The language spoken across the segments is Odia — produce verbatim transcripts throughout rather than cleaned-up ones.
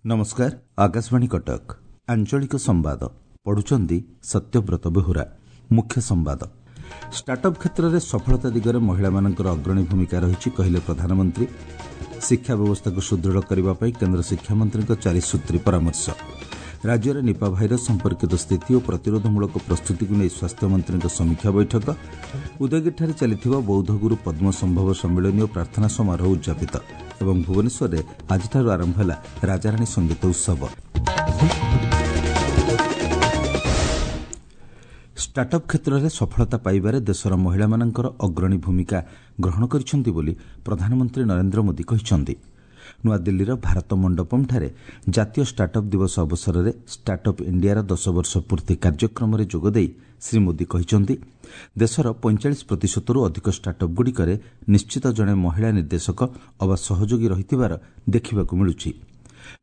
ନମସ୍କାର ଆକାଶବାଣୀ କଟକ ଆଞ୍ଚଳିକ ସମ୍ବାଦ ପଢୁଛନ୍ତି ସତ୍ୟବ୍ରତ ବେହୁରା ମୁଖ୍ୟ ସମ୍ବାଦ ଷ୍ଟାର୍ଟଅପ୍ କ୍ଷେତ୍ରରେ ସଫଳତା ଦିଗରେ ମହିଳାମାନଙ୍କର ଅଗ୍ରଣୀ ଭୂମିକା ରହିଛି କହିଲେ ପ୍ରଧାନମନ୍ତ୍ରୀ ଶିକ୍ଷା ବ୍ୟବସ୍ଥାକୁ ସୁଦୃଢ଼ କରିବା ପାଇଁ କେନ୍ଦ୍ର ଶିକ୍ଷାମନ୍ତ୍ରୀଙ୍କ ଚାରିସୂତ୍ରୀ ପରାମର୍ଶ ରାଜ୍ୟରେ ନିପା ଭାଇରସ୍ ସମ୍ପର୍କିତ ସ୍ଥିତି ଓ ପ୍ରତିରୋଧମୂଳକ ପ୍ରସ୍ତୁତିକୁ ନେଇ ସ୍ୱାସ୍ଥ୍ୟମନ୍ତ୍ରୀଙ୍କ ସମୀକ୍ଷା ବୈଠକ ଉଦୟଗିରିଠାରେ ଚାଲିଥିବା ବୌଦ୍ଧଗୁରୁ ପଦ୍ମସମ୍ଭବ ସମ୍ମିଳନୀ ଓ ପ୍ରାର୍ଥନା ସମାରୋହ ଉଦ୍ଯାପିତ ଏବଂ ଭୁବନେଶ୍ୱରରେ ଆଜିଠାରୁ ଆରମ୍ଭ ହେଲା ରାଜାରାଣୀ ସଙ୍ଗୀତ ଉତ୍ସବ ଷ୍ଟାର୍ଟଅପ୍ କ୍ଷେତ୍ରରେ ସଫଳତା ପାଇବାରେ ଦେଶର ମହିଳାମାନଙ୍କର ଅଗ୍ରଣୀ ଭୂମିକା ଗ୍ରହଣ କରିଛନ୍ତି ବୋଲି ପ୍ରଧାନମନ୍ତ୍ରୀ ନରେନ୍ଦ୍ର ମୋଦି କହିଛନ୍ତି ନୂଆଦିଲ୍ଲୀର ଭାରତ ମଣ୍ଡପମ୍ଠାରେ ଜାତୀୟ ଷ୍ଟାର୍ଟଅପ୍ ଦିବସ ଅବସରରେ ଷ୍ଟାର୍ଟଅପ୍ ଇଣ୍ଡିଆର ଦଶ ବର୍ଷ ପୂର୍ତ୍ତି କାର୍ଯ୍ୟକ୍ରମରେ ଯୋଗଦେଇ ଶ୍ରୀ ମୋଦି କହିଛନ୍ତି ଦେଶର ପଇଁଚାଳିଶ ପ୍ରତିଶତରୁ ଅଧିକ ଷ୍ଟାର୍ଟଅପ୍ଗୁଡ଼ିକରେ ନିଶ୍ଚିତ ଜଣେ ମହିଳା ନିର୍ଦ୍ଦେଶକ ଅବା ସହଯୋଗୀ ରହିଥିବାର ଦେଖିବାକୁ ମିଳୁଛି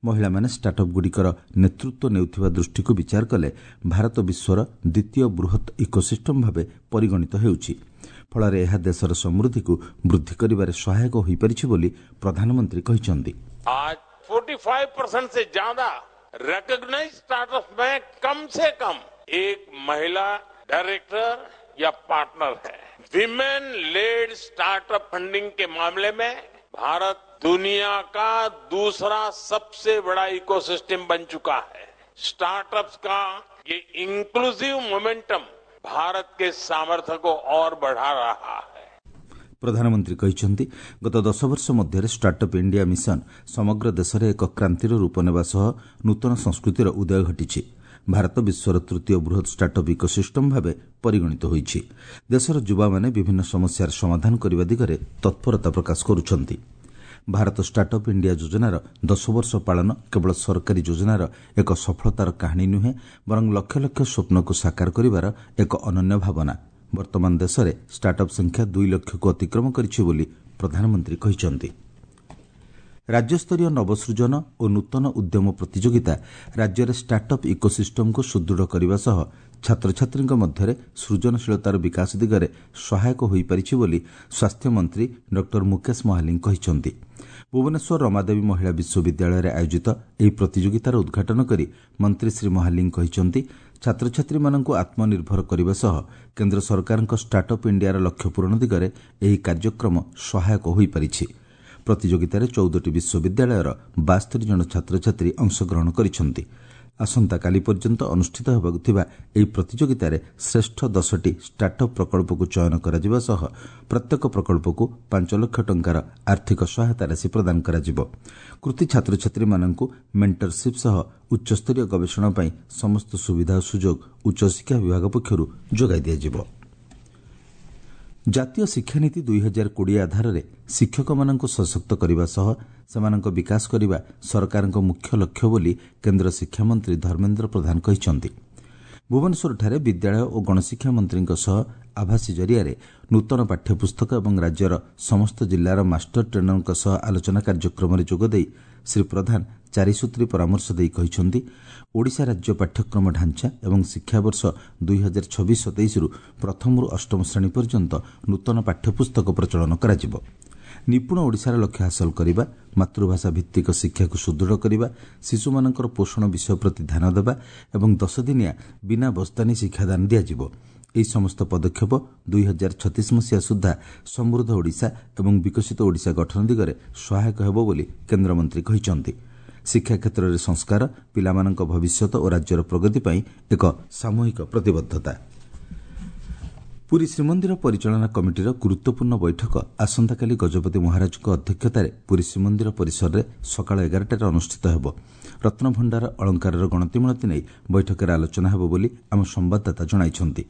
ମହିଳାମାନେ ଷ୍ଟାର୍ଟଅପ୍ଗୁଡ଼ିକର ନେତୃତ୍ୱ ନେଉଥିବା ଦୃଷ୍ଟିକୁ ବିଚାର କଲେ ଭାରତ ବିଶ୍ୱର ଦ୍ୱିତୀୟ ବୃହତ୍ ଇକୋସିଷ୍ଟମ୍ ଭାବେ ପରିଗଣିତ ହେଉଛି ଫଳରେ ଏହା ଦେଶର ସମୃଦ୍ଧିକୁ ବୃଦ୍ଧି କରିବାରେ ସହାୟକ ହୋଇପାରିଛି ବୋଲି ପ୍ରଧାନମନ୍ତ୍ରୀ କହିଛନ୍ତି आज पैंतालीस परसेंट से ज्यादा रिकॉग्नाइज्ड स्टार्टअप में कम से कम एक महिला डायरेक्टर या पार्टनर है विमेन लेड स्टार्टअप फंडिंग के मामले में भारत दुनिया का दूसरा सबसे बड़ा इकोसिस्टम बन चुका है स्टार्टअप्स का ये इंक्लूसिव मोमेंटम भारत के सामर्थ्य को और बढ़ा रहा है ପ୍ରଧାନମନ୍ତ୍ରୀ କହିଛନ୍ତି ଗତ ଦଶ ବର୍ଷ ମଧ୍ୟରେ ଷ୍ଟାର୍ଟଅପ୍ ଇଣ୍ଡିଆ ମିଶନ ସମଗ୍ର ଦେଶରେ ଏକ କ୍ରାନ୍ତିର ରୂପ ନେବା ସହ ନୂତନ ସଂସ୍କୃତିର ଉଦୟ ଘଟିଛି ଭାରତ ବିଶ୍ୱର ତୃତୀୟ ବୃହତ୍ ଷ୍ଟାର୍ଟଅପ୍ ଇକୋସିଷ୍ଟମ୍ ଭାବେ ପରିଗଣିତ ହୋଇଛି ଦେଶର ଯୁବାମାନେ ବିଭିନ୍ନ ସମସ୍ୟାର ସମାଧାନ କରିବା ଦିଗରେ ତତ୍ପରତା ପ୍ରକାଶ କରୁଛନ୍ତି ଭାରତ ଷ୍ଟାର୍ଟଅପ୍ ଇଣ୍ଡିଆ ଯୋଜନାର ଦଶ ବର୍ଷ ପାଳନ କେବଳ ସରକାରୀ ଯୋଜନାର ଏକ ସଫଳତାର କାହାଣୀ ନୁହେଁ ବରଂ ଲକ୍ଷ ଲକ୍ଷ ସ୍ୱପ୍ନକୁ ସାକାର କରିବାର ଏକ ଅନନ୍ୟ ଭାବନା ବର୍ତ୍ତମାନ ଦେଶରେ ଷ୍ଟାର୍ଟଅପ୍ ସଂଖ୍ୟା ଦୁଇ ଲକ୍ଷକୁ ଅତିକ୍ରମ କରିଛି ବୋଲି ପ୍ରଧାନମନ୍ତ୍ରୀ କହିଛନ୍ତି ରାଜ୍ୟସ୍ତରୀୟ ନବସୃଜନ ଓ ନୂତନ ଉଦ୍ୟମ ପ୍ରତିଯୋଗିତା ରାଜ୍ୟରେ ଷ୍ଟାର୍ଟଅପ୍ ଇକୋସିଷ୍ଟମକୁ ସୁଦୃଢ଼ କରିବା ସହ ଛାତ୍ରଛାତ୍ରୀଙ୍କ ମଧ୍ୟରେ ସୃଜନଶୀଳତାର ବିକାଶ ଦିଗରେ ସହାୟକ ହୋଇପାରିଛି ବୋଲି ସ୍ୱାସ୍ଥ୍ୟମନ୍ତ୍ରୀ ଡକ୍ଟର ମୁକେଶ ମହାଲିଙ୍ଗ କହିଛନ୍ତି ଭୁବନେଶ୍ୱର ରମାଦେବୀ ମହିଳା ବିଶ୍ୱବିଦ୍ୟାଳୟରେ ଆୟୋଜିତ ଏହି ପ୍ରତିଯୋଗିତାର ଉଦ୍ଘାଟନ କରି ମନ୍ତ୍ରୀ ଶ୍ରୀ ମହାଲିଙ୍ଗ କହିଛନ୍ତି ଛାତ୍ରଛାତ୍ରୀମାନଙ୍କୁ ଆତ୍ମନିର୍ଭର କରିବା ସହ କେନ୍ଦ୍ର ସରକାରଙ୍କ ଷ୍ଟାର୍ଟଅପ୍ ଇଣ୍ଡିଆର ଲକ୍ଷ୍ୟ ପୂରଣ ଦିଗରେ ଏହି କାର୍ଯ୍ୟକ୍ରମ ସହାୟକ ହୋଇପାରିଛି ପ୍ରତିଯୋଗିତାରେ ଚଉଦଟି ବିଶ୍ୱବିଦ୍ୟାଳୟର ବାସ୍ତରି ଜଣ ଛାତ୍ରଛାତ୍ରୀ ଅଂଶଗ୍ରହଣ କରିଛନ୍ତି ଆସନ୍ତାକାଲି ପର୍ଯ୍ୟନ୍ତ ଅନୁଷ୍ଠିତ ହେବାକୁ ଥିବା ଏହି ପ୍ରତିଯୋଗିତାରେ ଶ୍ରେଷ୍ଠ ଦଶଟି ଷ୍ଟାର୍ଟଅପ୍ ପ୍ରକଳ୍ପକୁ ଚୟନ କରାଯିବା ସହ ପ୍ରତ୍ୟେକ ପ୍ରକଳ୍ପକୁ ପାଞ୍ଚ ଲକ୍ଷ ଟଙ୍କାର ଆର୍ଥିକ ସହାୟତା ରାଶି ପ୍ରଦାନ କରାଯିବ କୃତି ଛାତ୍ରଛାତ୍ରୀମାନଙ୍କୁ ମେଣ୍ଟରସିପ୍ ସହ ଉଚ୍ଚସ୍ତରୀୟ ଗବେଷଣା ପାଇଁ ସମସ୍ତ ସୁବିଧା ଓ ସୁଯୋଗ ଉଚ୍ଚଶିକ୍ଷା ବିଭାଗ ପକ୍ଷରୁ ଯୋଗାଇ ଦିଆଯିବ ଜାତୀୟ ଶିକ୍ଷାନୀତି ଦୁଇ ହଜାର କୋଡ଼ିଏ ଆଧାରରେ ଶିକ୍ଷକମାନଙ୍କୁ ସଶକ୍ତ କରିବା ସହ ସେମାନଙ୍କ ବିକାଶ କରିବା ସରକାରଙ୍କ ମୁଖ୍ୟ ଲକ୍ଷ୍ୟ ବୋଲି କେନ୍ଦ୍ର ଶିକ୍ଷାମନ୍ତ୍ରୀ ଧର୍ମେନ୍ଦ୍ର ପ୍ରଧାନ କହିଛନ୍ତି ଭୁବନେଶ୍ୱରଠାରେ ବିଦ୍ୟାଳୟ ଓ ଗଣଶିକ୍ଷା ମନ୍ତ୍ରୀଙ୍କ ସହ ଆଭାସୀ ଜରିଆରେ ନୂତନ ପାଠ୍ୟପୁସ୍ତକ ଏବଂ ରାଜ୍ୟର ସମସ୍ତ ଜିଲ୍ଲାର ମାଷ୍ଟର ଟ୍ରେନରଙ୍କ ସହ ଆଲୋଚନା କାର୍ଯ୍ୟକ୍ରମରେ ଯୋଗଦେଇ ଶ୍ରୀ ପ୍ରଧାନ ଚାରିସୂତ୍ରୀ ପରାମର୍ଶ ଦେଇ କହିଛନ୍ତି ଓଡ଼ିଶା ରାଜ୍ୟ ପାଠ୍ୟକ୍ରମ ଢାଞ୍ଚା ଏବଂ ଶିକ୍ଷାବର୍ଷ ଦୁଇ ହଜାର ଛବିଶ ସତେଇଶରୁ ପ୍ରଥମରୁ ଅଷ୍ଟମ ଶ୍ରେଣୀ ପର୍ଯ୍ୟନ୍ତ ନୂତନ ପାଠ୍ୟପୁସ୍ତକ ପ୍ରଚଳନ କରାଯିବ ନିପୁଣ ଓଡ଼ିଶାର ଲକ୍ଷ୍ୟ ହାସଲ କରିବା ମାତୃଭାଷା ଭିତ୍ତିକ ଶିକ୍ଷାକୁ ସୁଦୃଢ଼ କରିବା ଶିଶୁମାନଙ୍କର ପୋଷଣ ବିଷୟ ପ୍ରତି ଧ୍ୟାନ ଦେବା ଏବଂ ଦଶଦିନିଆ ବିନା ବସ୍ତାନି ଶିକ୍ଷାଦାନ ଦିଆଯିବ ଏହି ସମସ୍ତ ପଦକ୍ଷେପ ଦୁଇ ହଜାର ଛତିଶ ମସିହା ସୁଦ୍ଧା ସମୃଦ୍ଧ ଓଡ଼ିଶା ଏବଂ ବିକଶିତ ଓଡ଼ିଶା ଗଠନ ଦିଗରେ ସହାୟକ ହେବ ବୋଲି କେନ୍ଦ୍ରମନ୍ତ୍ରୀ କହିଛନ୍ତି ଶିକ୍ଷା କ୍ଷେତ୍ରରେ ସଂସ୍କାର ପିଲାମାନଙ୍କ ଭବିଷ୍ୟତ ଓ ରାଜ୍ୟର ପ୍ରଗତି ପାଇଁ ଏକ ସାମୂହିକ ପ୍ରତିବଦ୍ଧତା ପୁରୀ ଶ୍ରୀମନ୍ଦିର ପରିଚାଳନା କମିଟିର ଗୁରୁତ୍ୱପୂର୍ଣ୍ଣ ବୈଠକ ଆସନ୍ତାକାଲି ଗଜପତି ମହାରାଜଙ୍କ ଅଧ୍ୟକ୍ଷତାରେ ପୁରୀ ଶ୍ରୀମନ୍ଦିର ପରିସରରେ ସକାଳ ଏଗାରଟାରେ ଅନୁଷ୍ଠିତ ହେବ ରତ୍ନଭଣ୍ଡାର ଅଳଙ୍କାରର ଗଣତିମଣତି ନେଇ ବୈଠକରେ ଆଲୋଚନା ହେବ ବୋଲି ଆମ ସମ୍ବାଦଦାତା ଜଣାଇଛନ୍ତି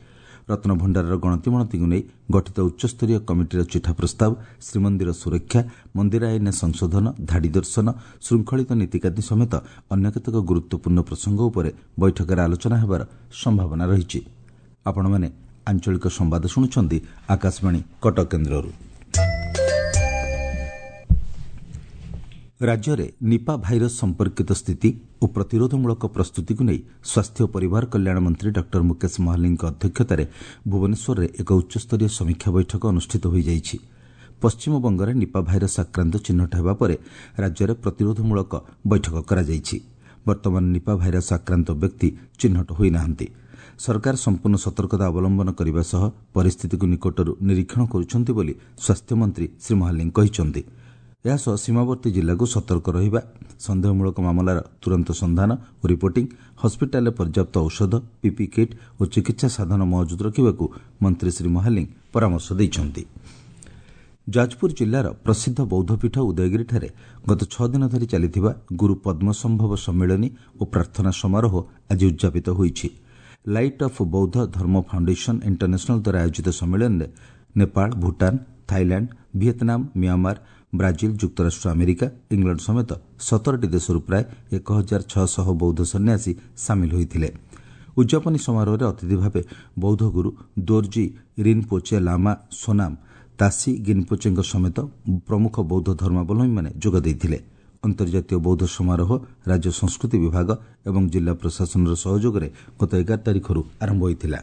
ରତ୍ନଭଣ୍ଡାରର ଗଣତିମଣତିକୁ ନେଇ ଗଠିତ ଉଚ୍ଚସ୍ତରୀୟ କମିଟିର ଚିଠା ପ୍ରସ୍ତାବ ଶ୍ରୀମନ୍ଦିର ସୁରକ୍ଷା ମନ୍ଦିର ଆଇନ ସଂଶୋଧନ ଧାଡ଼ି ଦର୍ଶନ ଶୃଙ୍ଖଳିତ ନୀତିକାନ୍ତି ସମେତ ଅନ୍ୟ କେତେକ ଗୁରୁତ୍ୱପୂର୍ଣ୍ଣ ପ୍ରସଙ୍ଗ ଉପରେ ବୈଠକରେ ଆଲୋଚନା ହେବାର ସମ୍ଭାବନା ରହିଛି ଆପଣମାନେ ଆଞ୍ଚଳିକ ସମ୍ବାଦ ଶୁଣୁଛନ୍ତି ଆକାଶବାଣୀ କଟକ କେନ୍ଦ୍ରରୁ ରାଜ୍ୟରେ ନିପା ଭାଇରସ୍ ସମ୍ପର୍କିତ ସ୍ଥିତି ଓ ପ୍ରତିରୋଧମୂଳକ ପ୍ରସ୍ତୁତିକୁ ନେଇ ସ୍ୱାସ୍ଥ୍ୟ ଓ ପରିବାର କଲ୍ୟାଣ ମନ୍ତ୍ରୀ ଡକ୍ଟର ମୁକେଶ ମହାଲିଙ୍ଗଙ୍କ ଅଧ୍ୟକ୍ଷତାରେ ଭୁବନେଶ୍ୱରରେ ଏକ ଉଚ୍ଚସ୍ତରୀୟ ସମୀକ୍ଷା ବୈଠକ ଅନୁଷ୍ଠିତ ହୋଇଯାଇଛି ପଶ୍ଚିମବଙ୍ଗରେ ନିପା ଭାଇରସ୍ ଆକ୍ରାନ୍ତ ଚିହ୍ନଟ ହେବା ପରେ ରାଜ୍ୟରେ ପ୍ରତିରୋଧମୂଳକ ବୈଠକ କରାଯାଇଛି। ବର୍ତ୍ତମାନ ନିପା ଭାଇରସ୍ ଆକ୍ରାନ୍ତ ବ୍ୟକ୍ତି ଚିହ୍ନଟ ହୋଇନାହାନ୍ତି। ସରକାର ସମ୍ପୂର୍ଣ୍ଣ ସତର୍କତା ଅବଲମ୍ବନ କରିବା ସହ ପରିସ୍ଥିତିକୁ ନିକଟରୁ ନିରୀକ୍ଷଣ କରୁଛନ୍ତି ବୋଲି ସ୍ୱାସ୍ଥ୍ୟମନ୍ତ୍ରୀ ଶ୍ରୀ ମହାଲିଙ୍ଗ କହିଛନ୍ତି। ଏହାସହ ସୀମାବର୍ତ୍ତୀ ଜିଲ୍ଲାକୁ ସତର୍କ ରହିବା, ସନ୍ଦେହମୂଳକ ମାମଲାର ତୁରନ୍ତ ସନ୍ଧାନ ଓ ରିପୋର୍ଟିଂ, ହସ୍ପିଟାଲରେ ପର୍ଯ୍ୟାପ୍ତ ଔଷଧ, ପିପିଇ କିଟ୍ ଓ ଚିକିତ୍ସା ସାଧନ ମହଜୁଦ ରଖିବାକୁ ମନ୍ତ୍ରୀ ଶ୍ରୀ ମହାଲିଙ୍ଗ ପରାମର୍ଶ ଦେଇଛନ୍ତି। ଯାଜପୁର ଜିଲ୍ଲାର ପ୍ରସିଦ୍ଧ ବୌଦ୍ଧପୀଠ ଉଦୟଗିରିଠାରେ ଗତ ଛଅ ଦିନ ଧରି ଚାଲିଥିବା ଗୁରୁ ପଦ୍ମସମ୍ଭବ ସମ୍ମିଳନୀ ଓ ପ୍ରାର୍ଥନା ସମାରୋହ ଆଜି ଉଦ୍ଯାପିତ ହୋଇଛି। Light of Bauddha Dharma foundation international ଦ୍ୱାରା ଆୟୋଜିତ ସମ୍ମିଳନୀରେ Nepal, Bhutan, Thailand, Vietnam, Myanmar, Brazil, ଯୁକ୍ତରାଷ୍ଟ୍ର ଆମେରିକା, ଇଂଲଣ୍ଡ ସମେତ ସତରଟି ଦେଶରୁ ପ୍ରାୟ ଏକ ହଜାର ଛଅଶହ ବୌଦ୍ଧ ସନ୍ନ୍ୟାସୀ ସାମିଲ ହୋଇଥିଲେ। ଉଦ୍ଯାପନୀ ସମାରୋହରେ ଅତିଥି ଭାବେ ବୌଦ୍ଧ ଗୁରୁ ଦୋର୍ଜୀ ରିନ୍ପୋଚେ ଲାମା ସୋନାମ ତାସି ଗିନ୍ପୋଚେଙ୍କ ସମେତ ପ୍ରମୁଖ ବୌଦ୍ଧ ଧର୍ମାବଲମ୍ବୀମାନେ ଯୋଗ ଦେଇଥିଲେ। ଅନ୍ତର୍ଜାତୀୟ ବୌଦ୍ଧ ସମାରୋହ ରାଜ୍ୟ ସଂସ୍କୃତି ବିଭାଗ ଏବଂ ଜିଲ୍ଲା ପ୍ରଶାସନର ସହଯୋଗରେ ଗତ ଏଗାର ତାରିଖରୁ ଆରମ୍ଭ ହୋଇଥିଲା।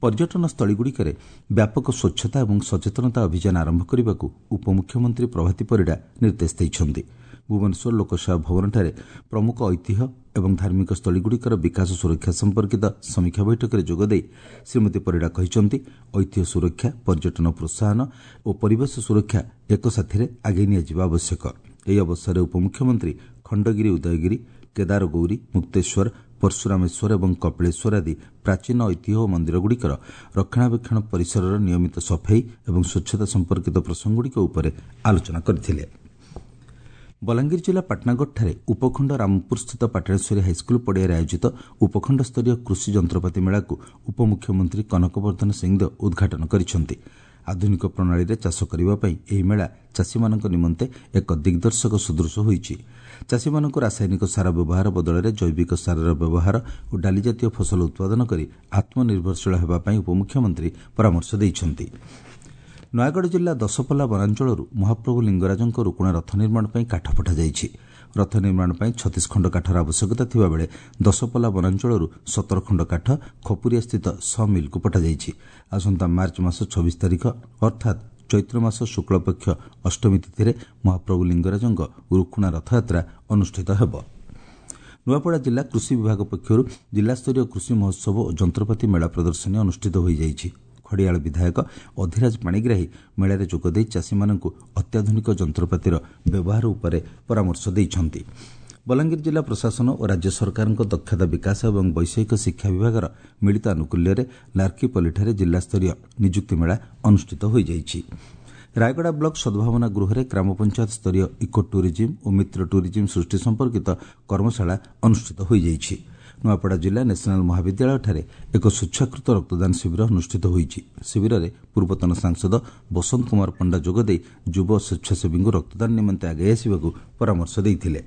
ପର୍ଯ୍ୟଟନ ସ୍ଥଳୀଗୁଡ଼ିକରେ ବ୍ୟାପକ ସ୍ୱଚ୍ଛତା ଏବଂ ସଚେତନତା ଅଭିଯାନ ଆରମ୍ଭ କରିବାକୁ ଉପମୁଖ୍ୟମନ୍ତ୍ରୀ ପ୍ରଭାତୀ ପରିଡ଼ା ନିର୍ଦ୍ଦେଶ ଦେଇଛନ୍ତି। ଭୁବନେଶ୍ୱର ଲୋକସେବା ଭବନଠାରେ ପ୍ରମୁଖ ଐତିହ୍ୟ ଏବଂ ଧାର୍ମିକ ସ୍ଥଳୀଗୁଡ଼ିକର ବିକାଶ ସୁରକ୍ଷା ସମ୍ପର୍କିତ ସମୀକ୍ଷା ବୈଠକରେ ଯୋଗଦେଇ ଶ୍ରୀମତୀ ପରିଡ଼ା କହିଛନ୍ତି, ଐତିହ୍ୟ ସୁରକ୍ଷା, ପର୍ଯ୍ୟଟନ ପ୍ରୋତ୍ସାହନ ଓ ପରିବେଶ ସୁରକ୍ଷା ଏକସାଥିରେ ଆଗେଇ ନିଆଯିବା ଆବଶ୍ୟକ। ଏହି ଅବସରରେ ଉପମୁଖ୍ୟମନ୍ତ୍ରୀ ଖଣ୍ଡଗିରି, ଉଦୟଗିରି, କେଦାରଗୌରୀ, ମୁକ୍ତେଶ୍ୱର, ପରଶୁରାମେଶ୍ୱର ଏବଂ କପିଳେଶ୍ୱର ଆଦି ପ୍ରାଚୀନ ଐତିହ୍ୟ ଓ ମନ୍ଦିରଗୁଡ଼ିକର ରକ୍ଷଣାବେକ୍ଷଣ, ପରିସରର ନିୟମିତ ସଫେଇ ଏବଂ ସ୍ୱଚ୍ଛତା ସମ୍ପର୍କିତ ପ୍ରସଙ୍ଗଗୁଡ଼ିକ ଉପରେ ଆଲୋଚନା କରିଥିଲେ। ବଲାଙ୍ଗୀର ଜିଲ୍ଲା ପାଟଣାଗଡ଼ଠାରେ ଉପଖଣ୍ଡ ରାମପୁରସ୍ଥିତ ପାଟଣେଶ୍ୱରୀ ହାଇସ୍କୁଲ ପଡ଼ିଆରେ ଆୟୋଜିତ ଉପଖଣ୍ଡସ୍ତରୀୟ କୃଷି ଯନ୍ତ୍ରପାତି ମେଳାକୁ ଉପମୁଖ୍ୟମନ୍ତ୍ରୀ କନକବର୍ଦ୍ଧନ ସିଂଦେଓ ଉଦ୍ଘାଟନ କରିଛନ୍ତି। ଆଧୁନିକ ପ୍ରଣାଳୀରେ ଚାଷ କରିବା ପାଇଁ ଏହି ମେଳା ଚାଷୀମାନଙ୍କ ନିମନ୍ତେ ଏକ ଦିଗ୍ଦର୍ଶକ ସଦୃଶ ହୋଇଛି। ଚାଷୀମାନଙ୍କୁ ରାସାୟନିକ ସାର ବ୍ୟବହାର ବଦଳରେ ଜୈବିକ ସାରର ବ୍ୟବହାର ଓ ଡାଲିଜାତୀୟ ଫସଲ ଉତ୍ପାଦନ କରି ଆତ୍ମନିର୍ଭରଶୀଳ ହେବା ପାଇଁ ଉପମୁଖ୍ୟମନ୍ତ୍ରୀ ପରାମର୍ଶ ଦେଇଛନ୍ତି। ନୟାଗଡ଼ ଜିଲ୍ଲା ଦଶପଲ୍ଲା ବନାଞ୍ଚଳରୁ ମହାପ୍ରଭୁ ଲିଙ୍ଗରାଜଙ୍କ ରୁକୁଣା ରଥ ନିର୍ମାଣ ପାଇଁ କାଠ ପଠାଯାଇଛି। ରଥ ନିର୍ମାଣ ପାଇଁ ଛତିଶ ଖଣ୍ଡ କାଠର ଆବଶ୍ୟକତା ଥିବାବେଳେ ଦଶପଲ୍ଲା ବନାଞ୍ଚଳରୁ ସତର ଖଣ୍ଡ କାଠ ଖପୁରିଆସ୍ଥିତ ସ ମିଲ୍କୁ ପଠାଯାଇଛି। ଆସନ୍ତା ମାର୍ଚ୍ଚ ମାସ ଛବିଶ ତାରିଖ ଅର୍ଥାତ୍ ଚୈତ୍ର ମାସ ଶୁକ୍ଳପକ୍ଷ ଅଷ୍ଟମୀ ତିଥିରେ ମହାପ୍ରଭୁ ଲିଙ୍ଗରାଜଙ୍କ ରୁକୁଣା ରଥଯାତ୍ରା ଅନୁଷ୍ଠିତ ହେବ। ନୂଆପଡ଼ା ଜିଲ୍ଲା କୃଷି ବିଭାଗ ପକ୍ଷରୁ ଜିଲ୍ଲାସ୍ତରୀୟ କୃଷି ମହୋତ୍ସବ ଓ ଯନ୍ତ୍ରପାତି ମେଳା ପ୍ରଦର୍ଶନୀ ଅନୁଷ୍ଠିତ ହୋଇଯାଇଛି। ଖଡ଼ିଆଳ ବିଧାୟକ ଅଧିରାଜ ପାଣିଗ୍ରାହୀ ମେଳାରେ ଯୋଗଦେଇ ଚାଷୀମାନଙ୍କୁ ଅତ୍ୟାଧୁନିକ ଯନ୍ତ୍ରପାତିର ବ୍ୟବହାର ଉପରେ ପରାମର୍ଶ ଦେଇଛନ୍ତି। ବଲାଙ୍ଗୀର ଜିଲ୍ଲା ପ୍ରଶାସନ ଓ ରାଜ୍ୟ ସରକାରଙ୍କ ଦକ୍ଷତା ବିକାଶ ଏବଂ ବୈଷୟିକ ଶିକ୍ଷା ବିଭାଗର ମିଳିତ ଆନୁକୂଲ୍ୟରେ ଲାର୍କିପଲ୍ଲୀଠାରେ ଜିଲ୍ଲାସ୍ତରୀୟ ନିଯୁକ୍ତି ମେଳା ଅନୁଷ୍ଠିତ ହୋଇଯାଇଛି। ରାୟଗଡ଼ା ବ୍ଲକ ସଦ୍ଭାବନା ଗୃହରେ ଗ୍ରାମ ପଞ୍ଚାୟତ ସ୍ତରୀୟ ଇକୋ ଟୁରିଜିମ୍ ଓ ମିତ୍ର ଟୁରିଜିମ୍ ସୃଷ୍ଟି ସମ୍ପର୍କିତ କର୍ମଶାଳା ଅନୁଷ୍ଠିତ ହୋଇଯାଇଛି। ନୂଆପଡ଼ା ଜିଲ୍ଲା ନ୍ୟାସନାଲ ମହାବିଦ୍ୟାଳୟଠାରେ ଏକ ସ୍ୱେଚ୍ଛାକୃତ ରକ୍ତଦାନ ଶିବିର ଅନୁଷ୍ଠିତ ହୋଇଛି। ଶିବିରରେ ପୂର୍ବତନ ସାଂସଦ ବସନ୍ତ କୁମାର ପଣ୍ଡା ଯୋଗଦେଇ ଯୁବ ସ୍ୱେଚ୍ଛାସେବୀଙ୍କୁ ରକ୍ତଦାନ ନିମନ୍ତେ ଆଗେଇ ଆସିବାକୁ ପରାମର୍ଶ ଦେଇଥିଲେ।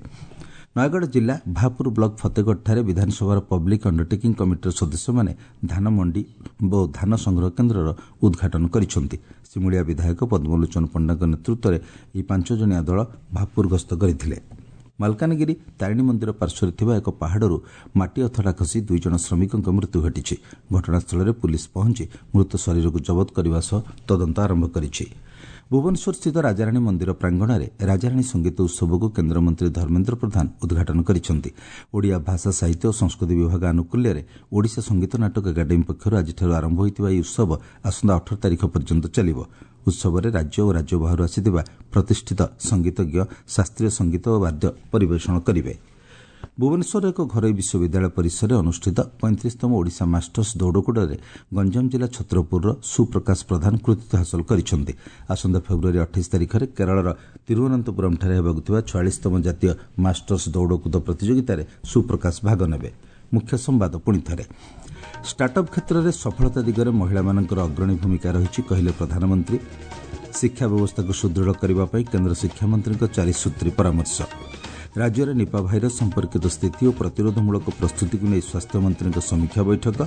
ନୟାଗଡ଼ ଜିଲ୍ଲା ଭାପୁର ବ୍ଲକ ଫତେଗଡ଼ଠାରେ ବିଧାନସଭାର ପବ୍ଲିକ୍ ଅଣ୍ଡରଟେକିଂ କମିଟିର ସଦସ୍ୟମାନେ ଧାନ ମଣ୍ଡି ଓ ଧାନ ସଂଗ୍ରହ କେନ୍ଦ୍ରର ଉଦ୍ଘାଟନ କରିଛନ୍ତି। ସିମୁଳିଆ ବିଧାୟକ ପଦ୍ମଲୋଚନ ପଣ୍ଡାଙ୍କ ନେତୃତ୍ୱରେ ଏହି ପାଞ୍ଚ ଜଣିଆ ଦଳ ଭାପୁର ଗସ୍ତ କରିଥିଲେ। ମାଲକାନଗିରି ତାରିଣୀ ମନ୍ଦିର ପାର୍ଶ୍ୱରେ ଥିବା ଏକ ପାହାଡ଼ରୁ ମାଟି ଅଥଡ଼ା ଖସି ଦୁଇ ଜଣ ଶ୍ରମିକଙ୍କ ମୃତ୍ୟୁ ଘଟିଛି। ଘଟଣାସ୍ଥଳରେ ପୁଲିସ୍ ପହଞ୍ଚି ମୃତ ଶରୀରକୁ ଜବତ କରିବା ସହ ତଦନ୍ତ ଆରମ୍ଭ କରିଛି। ଭୁବନେଶ୍ୱରସ୍ଥିତ ରାଜାରାଣୀ ମନ୍ଦିର ପ୍ରାଙ୍ଗଣରେ ରାଜାରାଣୀ ସଙ୍ଗୀତ ଉତ୍ସବକୁ କେନ୍ଦ୍ରମନ୍ତ୍ରୀ ଧର୍ମେନ୍ଦ୍ର ପ୍ରଧାନ ଉଦ୍ଘାଟନ କରିଛନ୍ତି। ଓଡ଼ିଆ ଭାଷା, ସାହିତ୍ୟ ଓ ସଂସ୍କୃତି ବିଭାଗ ଆନୁକୂଲ୍ୟରେ ଓଡ଼ିଶା ସଙ୍ଗୀତ ନାଟକ ଏକାଡେମୀ ପକ୍ଷରୁ ଆଜିଠାରୁ ଆରମ୍ଭ ହୋଇଥିବା ଏହି ଉତ୍ସବ ଆସନ୍ତା ଅଠର ତାରିଖ ପର୍ଯ୍ୟନ୍ତ ଚାଲିବ। ଉତ୍ସବରେ ରାଜ୍ୟ ଓ ରାଜ୍ୟ ବାହାରୁ ଆସିଥିବା ପ୍ରତିଷ୍ଠିତ ସଙ୍ଗୀତଜ୍ଞ ଶାସ୍ତ୍ରୀୟ ସଙ୍ଗୀତ ଓ ବାଦ୍ୟ ପରିବେଷଣ କରିବେ। ଭୁବନେଶ୍ୱରର ଏକ ଘରୋଇ ବିଶ୍ୱବିଦ୍ୟାଳୟ ପରିସରରେ ଅନୁଷ୍ଠିତ ପଇଁତିରିଶତମ ଓଡ଼ିଶା ମାଷ୍ଟର୍ସ ଦୌଡ଼କୁଦରେ ଗଞ୍ଜାମ ଜିଲ୍ଲା ଛତ୍ରପୁରର ସୁପ୍ରକାଶ ପ୍ରଧାନ କୃତିତ୍ୱ ହାସଲ କରିଛନ୍ତି। ଆସନ୍ତା ଫେବୃଆରୀ ଅଠାଇଶ ତାରିଖରେ କେରଳର ତିରୁଅନନ୍ତପୁରମ୍ଠାରେ ହେବାକୁ ଥିବା ଛୟାଳିଶତମ ଜାତୀୟ ମାଷ୍ଟର୍ସ ଦୌଡ଼କୁଦ ପ୍ରତିଯୋଗିତାରେ ସୁପ୍ରକାଶ ଭାଗ ନେବେ। ମୁଖ୍ୟ ସମ୍ବାଦ ପୁଣି ଥରେ। ଷ୍ଟାର୍ଟଅପ୍ କ୍ଷେତ୍ରରେ ସଫଳତା ଦିଗରେ ମହିଳାମାନଙ୍କର ଅଗ୍ରଣୀ ଭୂମିକା ରହିଛି, କହିଲେ ପ୍ରଧାନମନ୍ତ୍ରୀ। ଶିକ୍ଷା ବ୍ୟବସ୍ଥାକୁ ସୁଦୃଢ଼ କରିବା ପାଇଁ କେନ୍ଦ୍ର ଶିକ୍ଷାମନ୍ତ୍ରୀଙ୍କ ଚାରିସୂତ୍ରୀ ପରାମର୍ଶ। ରାଜ୍ୟରେ ନିପା ଭାଇରସ୍ ସମ୍ପର୍କିତ ସ୍ଥିତି ଓ ପ୍ରତିରୋଧମୂଳକ ପ୍ରସ୍ତୁତିକୁ ନେଇ ସ୍ୱାସ୍ଥ୍ୟମନ୍ତ୍ରୀଙ୍କ ସମୀକ୍ଷା ବୈଠକ।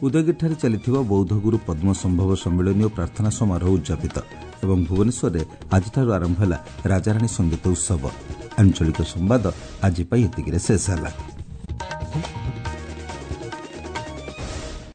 ଉଦୟଗିରିଠାରେ ଚାଲିଥିବା ବୌଦ୍ଧଗୁରୁ ପଦ୍ମ ସମ୍ଭବ ସମ୍ମିଳନୀ ଓ ପ୍ରାର୍ଥନା ସମାରୋହ ଉଦ୍ଯାପିତ। ଏବଂ ଭୁବନେଶ୍ୱରରେ ଆଜିଠାରୁ ଆରମ୍ଭ ହେଲା ରାଜାରାଣୀ ସଙ୍ଗୀତ ଉତ୍ସବ। ଆଞ୍ଚଳିକ ସମ୍ବାଦ ଆଜି ପାଇଁ ଏତିକିରେ ଶେଷ ହେଲା।